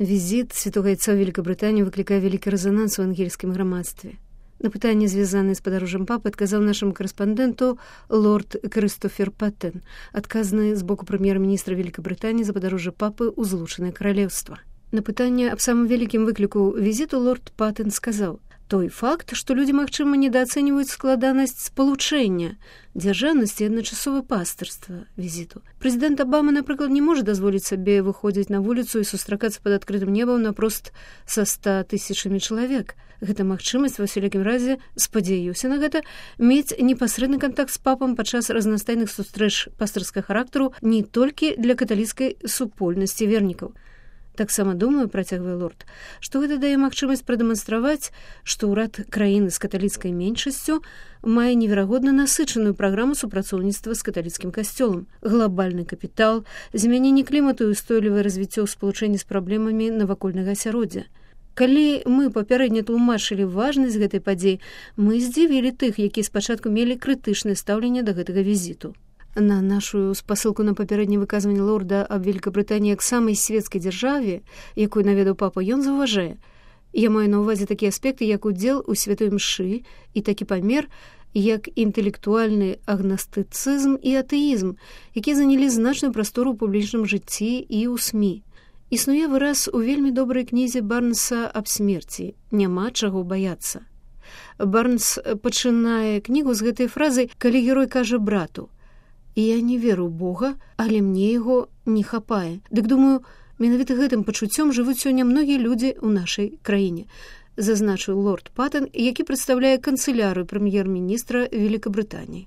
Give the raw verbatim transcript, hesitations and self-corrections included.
Візіт святого Яйца ў Великабрытанію выклікае вялікі рэзананс у ангельскім грамадстве. На пытанне, звязанае з падарожжам папы, адказаў нашаму карэспандэнту лорд Крыстофер Паттен, адказны з боку прэм'ер-міністра Великабрытаніі за падарожжа папы ў Злучанае Каралеўства. На пытанне аб самым вялікім выкліку візіту лорд Паттен сказаў: той факт, што людзі, магчыма, недаацэньваюць складанасць спалучэння дзяржаўнасці і адначасова пастырства візіту. Прэзідэнт Абама, напрыклад, не можа дазволіць сабе выходзіць на вуліцу і сустракацца пад адкрытым небам напрост са ста тысячамі чалавек. Гэта магчымасць, ва ўсялякім разе, спадзяюся на гэта, мець непасрэдны кантакт з папам падчас разнастайных сустрэч пастырскага характару не толькі для каталіцкай супольнасці вернікаў. Таксама думаю, працягвае лорд, што гэта дае магчымасць прадэманстраваць, што ўрад краіны з каталіцкай меншасцю мае неверагодна насычаную праграму супрацоўніцтва з каталіцкім касцёлам, глобальны капітал, змяненне клімату і устойлівае развіццё ў спалучэнні з праблемамі навакольнага асяроддзя. Калі мы папярэдне тлумачылі важнасць гэтай падзеі, мы здзівілі тых, якія спачатку мелі крытычнае стаўленне да гэтага візіту. На нашу спасылку на папярэдняе выказванне лорда аб Великабрытаніі як самай свецкай дзяржаве, якую наведаў папа, ён заўважае: я маю на ўвазе такія аспекты, як удзел у святой мшы і такі памер, як інтэлектуальны агнастыцызм і атэізм, якія занялі значную прастору ў публічным жыцці і ў СМІ. Існуе выраз у вельмі добрай кнізе Барнса аб смерці: няма чаго баяцца. Барнс пачынае кнігу з гэтай фразай, калі герой кажа брату: я не веру Бога, але мне яго не хапае. Дык думаю, менавіта гэтым пачуццём жывуць сёння многія людзі ў нашай краіне, зазначыў лорд Паттен, які прадстаўляе канцылярыю прэм'ер-міністра Великабрытаніі.